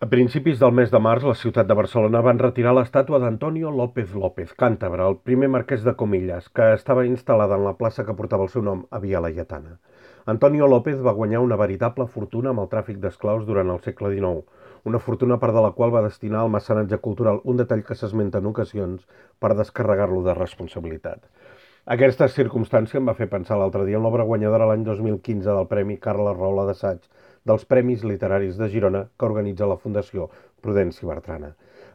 A principis del mes de març, la ciutat de Barcelona van retirar l'estàtua d'Antonio López López, càntabre, el primer marquès de Comillas, que estava instal·lada en la plaça que portava el seu nom a Via Laietana. Antonio López va guanyar una veritable fortuna amb el tràfic d'esclaus durant el segle XIX, una fortuna part de la qual va destinar al mecenatge cultural, un detall que s'esmenta en ocasions per descarregar-lo de responsabilitat. Aquesta circumstància em va fer pensar l'altre dia en l'obra guanyadora l'any 2015 del Premi Carles Roula d'Assaig dels Premis Literaris de Girona que organitza la Fundació Prudenci Bertrana.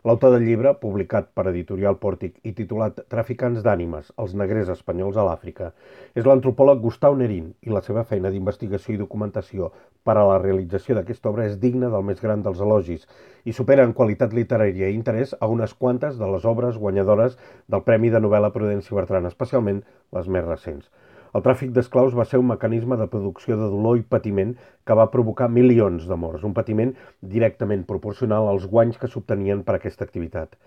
L'autor del llibre, publicat per Editorial Pòrtic i titulat Traficants d'ànimes, els negrers espanyols a l'Àfrica, és l'antropòleg Gustau Nerín i la seva feina d'investigació i documentació per a la realització d'aquesta obra és digna del més gran dels elogis i supera en qualitat literària i interès a unes quantes de les obres guanyadores del Premi de Novel·la Prudenci Bertrana, especialment les més recents. El tràfic d'esclaus va ser un mecanisme de producció de dolor i patiment que va provocar milions de morts, un patiment directament proporcional als guanys que s'obtenien per aquesta activitat.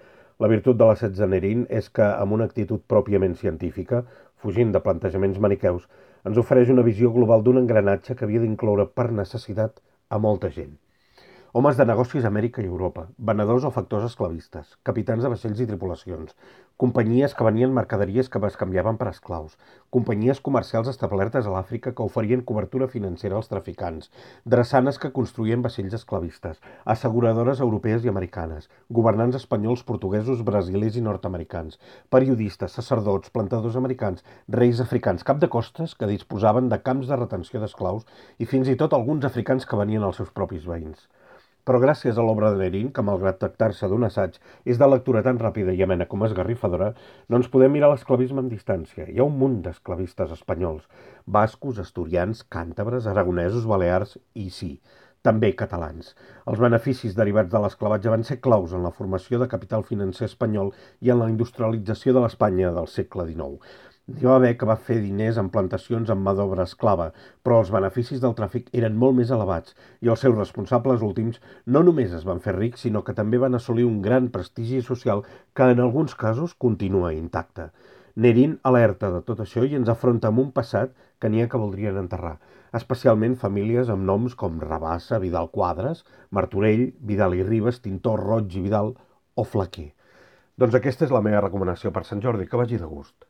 La virtut de l'assaig de Nerín és que, amb una actitud pròpiament científica, fugint de plantejaments maniqueus, ens ofereix una visió global d'un engranatge que havia d'incloure per necessitat a molta gent. Homes de negocis a Amèrica i Europa, venedors o factors esclavistes, capitans de vaixells i tripulacions, companyies que venien mercaderies que es canviaven per esclaus, companyies comercials establertes a l'Àfrica que oferien cobertura financera als traficants, drassanes que construïen vaixells esclavistes, asseguradores europees i americanes, governants espanyols, portuguesos, brasilers i nord-americans, periodistes, sacerdots, plantadors americans, reis africans, cap de costes que disposaven de camps de retenció d'esclaus i fins i tot alguns africans que venien als seus propis veïns. Però gràcies a l'obra de Nerín, que malgrat tractar-se d'un assaig és de lectura tan ràpida i amena com esgarrifadora, no ens podem mirar l'esclavisme amb distància. Hi ha un munt d'esclavistes espanyols, bascos, asturians, càntabres, aragonesos, balears i, sí, també catalans. Els beneficis derivats de l'esclavatge van ser claus en la formació de capital financer espanyol i en la industrialització de l'Espanya del segle XIX. N'hi va haver que va fer diners en plantacions amb mà d'obra esclava, però els beneficis del tràfic eren molt més elevats i els seus responsables últims no només es van fer rics, sinó que també van assolir un gran prestigi social que en alguns casos continua intacte. Nerín alerta de tot això i ens afronta amb un passat que n'hi ha que voldrien enterrar, especialment famílies amb noms com Rabassa, Vidal Quadres, Martorell, Vidal i Ribes, Tintor, Roig i Vidal o Flaquer. Doncs aquesta és la meva recomanació per Sant Jordi, que vagi de gust.